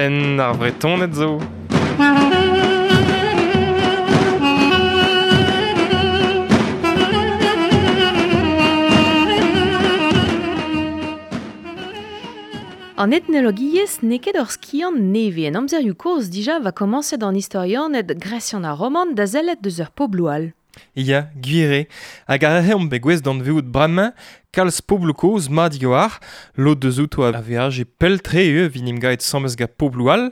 Penn ar Vretoned zo. An etnologiezh n'eo ket ur skiant nevez. En amzerioù kozh dija va komañset an istorianed gresian ha roman da sellet deus ur pobloù all. Ya, gwir eo. Hag ar re omp bet gouest d'anveout bremañ, kalz pobloù kozh mat war, lod deus outo a veaje pell-tre eo evit 'n em gaet 'sames gant pobloù all,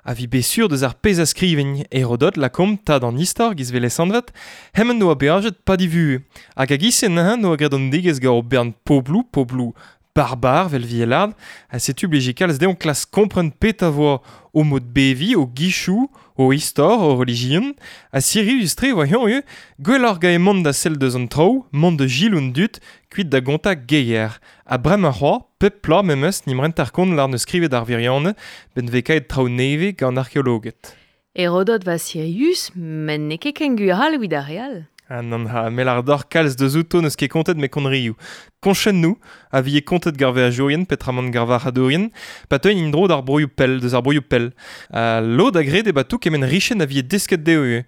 a vi bet sur deus ar pezh a skrivin Herodot lakaomp tad an istor giz 'vel lesanvet, hemañ 'noa beajet pad e vuhez. Hag a-giz-se neuze 'noa graet an degouezh gant ur bern pobloù, pobloù barbar 'vel Vielard, ha setu blije kalz dezhañ klask kompren petra 'voa o mod beviñ, o gichoù, o istor, o relijion, ha sirius-tre e oa eñ ivez, gwelloc'h gant mont da sell deus an traoù, mont da selaou an dud, kuit da gontañ geier. Ha bremañ c'hoazh, pep bloaz memes 'n em renter kont lâr 'neus skrivet ar wirionez, 'benn 'vez kaet traoù nevez gant arkeologed. Herodot va sirius, met n'eo ket ken gwir all evit ar re all. Ah nann, ha me lâr deoc'h kalz deus outo n'eus ket kontet me konrioù. Koñchennoù a vije kontet gant veajourien petramant gant varc'hadourien, pa teuint en-dro d'ar broioù pell, deus ar broioù pell. Ha lod a gred eo tout kement richenn a vije desket dezho ivez.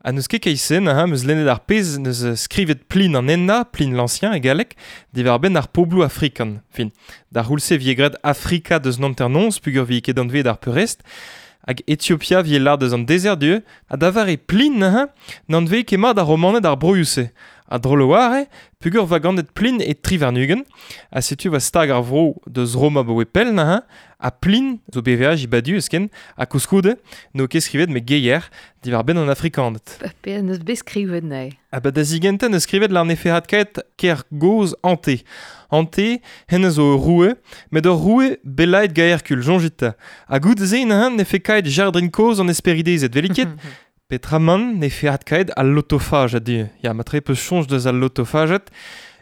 Ha n'eus ket keit-se neuze 'm eus lennet ar pezh 'neus skrivet Pline an Henañ, Pline l'Ancien e galleg, diwar-benn ar pobloù afrikan. Fin, d'ar c'houlz-se e vije graet Afrika deus an hanternoz peogwir 'vije ket anveet ar peurrest. Hag Etiopia 'vije lâret deus an dezert du, ha da vare Plin neuze, n'anveze ket mat ar Romaned ar broioù-se. Ha drol a-walc'h eo, peogwir 'oa ganet Plin e 23, ha setu 'oa stag ar vro deus Roma 'baoe pell neuze, ha Plin zo bet veaj badu esken, ha koulskoude n'eo ket skrivet met geier diwar-benn an Afrikaned. Pe n'eus bet skrivet neuze. Ha ba da zigentañ 'neus skrivet lar 'nefe adkaet kêr gozh Ante. Ante, hennezh zo ur roue, met ur roue bellaet gant Herkul, soñjit 'ta. Ha goude-se neuze 'nefe kaet jardrin kozh an Hesperidezed, 'welit ket? Petramant 'nefe adkaet al lotofaj a-du. Ya, matre 'peus soñj deus al lotofajed.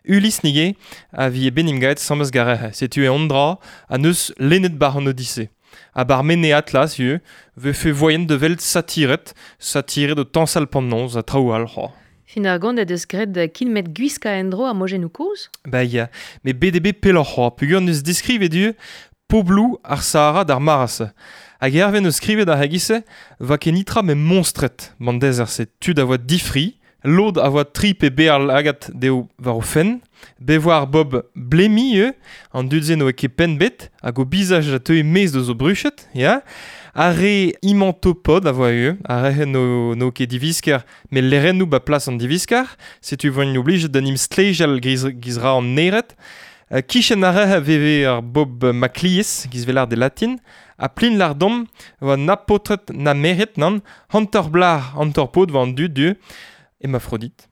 Ulysse nige a vi bet 'n em gaet 'sames garec'h. Setu e an dra ha 'neus lennet 'bar an Odise. Ha 'bar Mene Atlas ivez, 'vefe voaien da welet satired, satired o tañsal 'p'an noz ha traoù all c'hoazh. Fin ar gont he deus graet kin met gwiskañ en-dro ar mojennoù kozh? Ba ya, met bet eo bet pelloc'h c'hoazh peogwir 'neus deskrivet ivez pobloù ar Sahara d'ar mare-se. Hag hervez 'neus skrivet ar c'hegise 'oa ket netra met monstred 'ban dezerzh-se, tud a oa difri, lod a oa tri pe bear lagad dezho war o fenn, bet 'voa ar bob blemi ivez, an dud-se n'oa ket penn 'bet hag o bizaj a teue maez deus o bruched, ya. Ar re imantopod a voa ivez, ar re n'o ket divisker met lerennoù 'ba plas an divisker, setu 'voint oblijet da 'n em stlejal giz ra an nered. Kichen ar re a veve ar bob Maclies, giz 'vel e latin, ha plin lardom 'oa na paotred na merc'hed nann, hanter blac'h, hanter paotr 'oa an dud du, Hermaphrodite.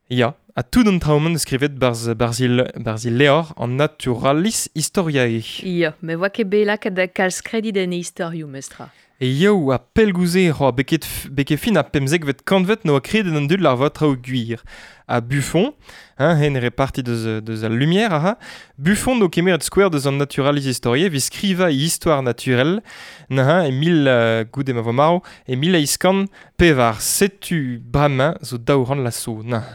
Ya, ha tout an traoù-mañ skrivet 'barzh 'barzh e levr an Naturalis Historiae. Ya, met 'oa ket bet lakaet da kalz kredit en e istorioù, mestra. E yaou ha pellgouze c'hoazh beket beket fin ar pemzekvet kantved 'noa kredet an dud lâr traoù gwir. Ha Buffon, hein, hen reparti deus al Lumière aha, Buffon 'no kemeret skouer deus an Naturalis Historiae evit skrivañ e istoire naturelle neuze e mil goude ma vo marv, e 1804. Setu bremañ zo 200 vloaz zo neuze.